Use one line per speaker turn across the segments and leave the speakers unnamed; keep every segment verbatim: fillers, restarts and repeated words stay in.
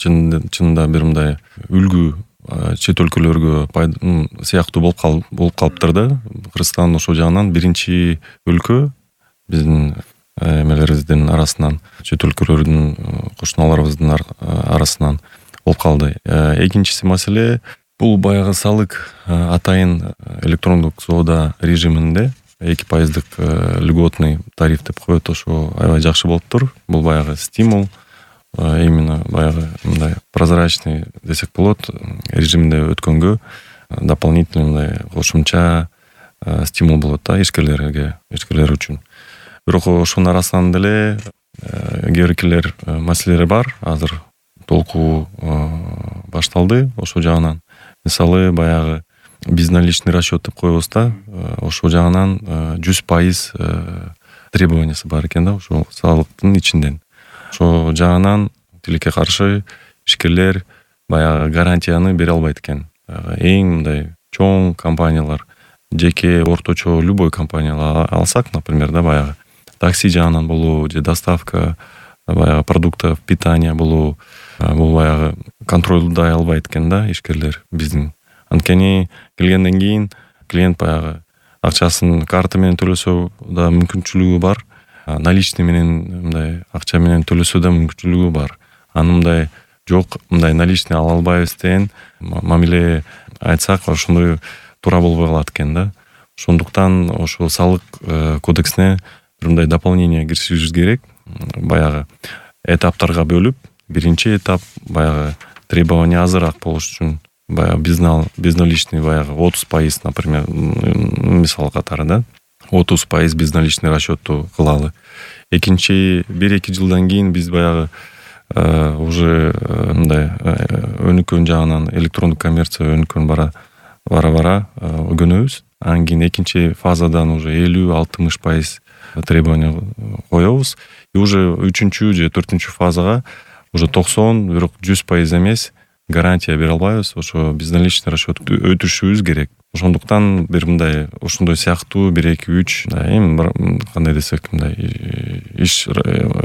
чынында бир мындай үлгү чет өлкөлөргө сыяктуу болуп кал болуп калыптыр да. Кыргызстан ошол жагынан биринчи өлкө биздин эмелерибиздин арасынан, чет өлкөлөрдүн кошуналарыбыздын арасынан болуп калды. Экинчиси маселе бул баягы салык атайын электрондук соода режиминде эки пайыздык льготный тариф деп коет. Ошо аябай жакшы болуптур. Бул баягы стимул, именно баягы мындай прозрачный десек болот режиминде өткөнгө дополнительный мындай кошумча стимул болот да ишкерлерге, ишкерлер үчүн. Бирок ошонун арасынан деле кээ биркилер маселелер бар. Азыр толкуу башталды ошол жагынан. Мисалы баягы безналичный расчет деп коебуз да. Ошол жагынан жүз пайыз требованиясы бар экен да, ошол салыктын ичинден. Ошол жагынан тилекке каршы ишкерлер баягы гарантияны бере албайт экен. Эң мындай чоң компаниялар, жеке орточо любой компаниялар алсак, например, да, баягы такси жагынан болуу же доставка баягы продуктов питания болуу, бул баягы контролдой албайт экен да ишкерлер биздин. Анткени келгенден кийин клиент баягы акчасын карта менен төлөсө да мүмкүнчүлүгү бар, наличный менен мындай акча менен төлөсө да мүмкүнчүлүгү бар. Аны мындай жок, мындай наличный ала албайбыз деген мамиле айтсак, ошондой туура болбой калат экен да. Ошондуктан ошол салык кодексине бир мындай дополнение киргизишибиз керек. Баягы этаптарга бөлүп, биринчи этап баягы требования азыраак болуш үчүн баягы безналичный баягы отуз пайыз, например, мисал катары да, отуз пайыз безналичный расчетту кылалы. Экинчи бир-эки жылдан кийин биз баягы уже мындай өнүккөн жагынан электрондук коммерция өнүккөн бара бара бара өгөнөбүз. Анан кийин экинчи фазадан уже элүү алтымыш пайыз требования коебуз. И уже үчүнчү же төртүнчү фазага уже токсон, бирок жүз пайыз эмес гарантия бере албайбыз. Ошо безналичный расчет өтүшүбүз керек. Ошондуктан бир мындай ошондой сыяктуу бир эки үч эми кандай десек мындай иш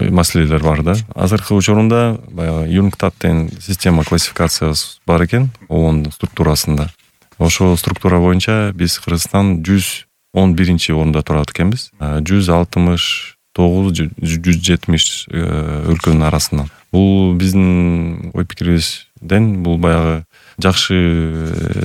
маселелер бар да. Азыркы учурунда баягы юнктат деген система классификациясы бар экен ООН структурасында. Ошол структура боюнча биз Кыргызстан жүз он биринчи орунда турат экенбиз. жүз алтымыш тогуз жүз жетимиш өлкөнүн арасынан. Бул биздин ой пикирибизден бул баягы жакшы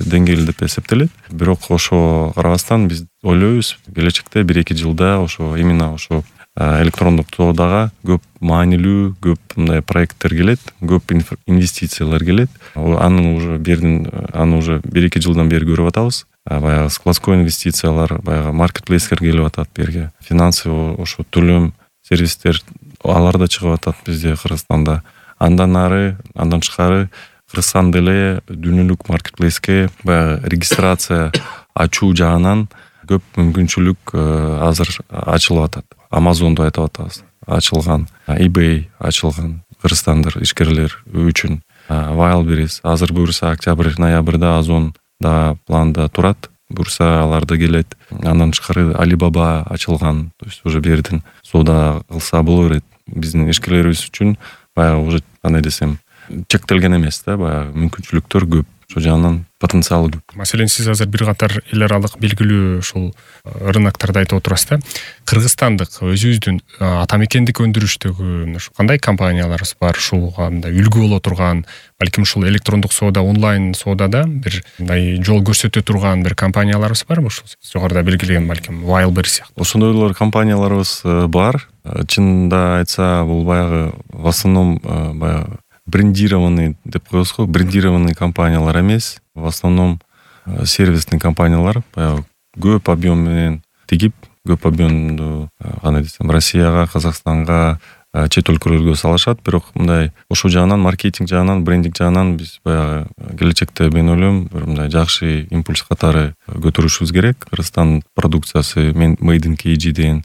деңгээл деп эсептелет. Бирок ошо карабастан биз ойлойбуз, келечекте бир-эки жылда ошо именно ошо электрондук соодага көп маанилүү, көп мындай проекттер келет, көп инвестициялар келет. Аны уже бердин, аны уже бир-эки жылдан бери көрүп атабыз. Баягы складской инвестициялар, баягы маркетплейскер келип атат берге. Финансы ошо төлөм сервистер алар да чыгып атат бизде Кыргызстанда. Андан ары, андан тышкары Кыргызстан деле дүйнөлүк маркетплейске баягы регистрация ачуу жагынан көп мүмкүнчүлүк азыр ачылып атат. Amazon'ду айтып атабыз. Ачылган, eBay ачылган кыргызстандыр ишкерлер үчүн. Wildberries азыр буюрса октябрь, ноябрда Озон да планда турат. Буюрса аларды келет. Андан тышкары Alibaba ачылган. То есть уже бердин соода кылса боло берет. Биздин ишкерлерибиз үчүн баягы уже кандай десем, чектелген эмес да, баягы мүмкүнчүлүктөр көп. Ошол жагынан потенциалы көп.
Маселен, сиз азыр бир катар эл аралык белгилүү ушул рыноктарды айтып отурасыз да. Кыргызстандык өзүбүздүн ата мекендик өндүрүштөгү кандай компанияларыбыз бар, ушуга мындай үлгү боло турган, балким ушул электрондук соода, онлайн соодада бир мындай жол көрсөтө турган бир компанияларыбыз барбы? Ушул жогоруда белгилеген балким Wildberries сыяктуу.
Ошондойлор компанияларыбыз бар. Чынында айтса, бул баягы в основном баягы брендированный деп коебуз го, брендированный компаниялар эмес, в основном сервисный компаниялар, баягы көп объем менен тигип, көп объемду кандай десем, Россияга, Казакстанга, чет өлкөлөргө салышат. Бирок мындай ошол жагынан, маркетинг жагынан, брендинг жагынан биз баягы келечекте мен ойлойм, бир мындай жакшы импульс катары көтөрүшүбүз керек. Кыргызстан продукциясы, Made in кей джи деген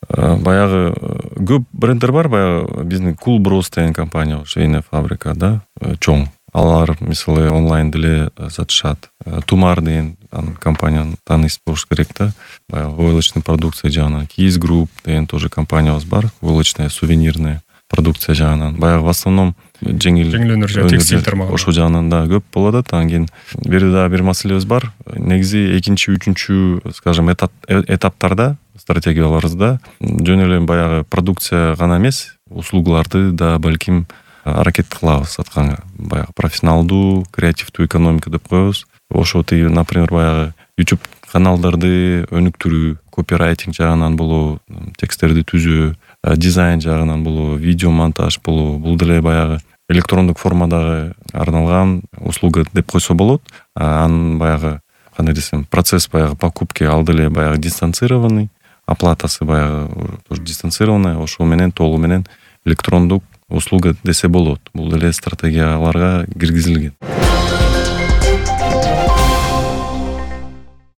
баягы көп бренддер бар. Баягы биздин Cool Bros деген компания, швейная фабрика да, чоң. Алар мисалы онлайн деле сатышат. Тумар деген компанияны тааныйсыз болуш керек да. Баягы войлочный продукция жагынан. Keys Group деген тоже компаниябыз бар. Войлочная, сувенирная продукция жагынан. Баягы в основном жеңил
жеңил өнөр жана текстиль тармагы
ошол жагынан да көп болуп атат. Анан кийин бери дагы бир маселебиз бар. Негизи экинчи үчүнчү, скажем, этаптарда стратегияларыбызда жөн эле баягы продукция гана эмес, услугаларды да балким аракет кылабыз атканга. Баягы профессионалдуу, креативдүү экономика деп коебуз. Ошо тиги, например, баягы YouTube каналдарды өнүктүрүү, копирайтинг жагынан болобу, тексттерди түзүү, дизайн жагынан болобу, видео монтаж болобу, бул деле баягы электрондук формадагы арналган услуга деп койсо болот. Анын баягы кандай десем, процесс баягы покупки ал деле баягы дистанцированный, оплатасы баягы тоже дистанцированный, ошол менен толугу менен электрондук услуга десе болот. Бул деле стратегияларга киргизилген.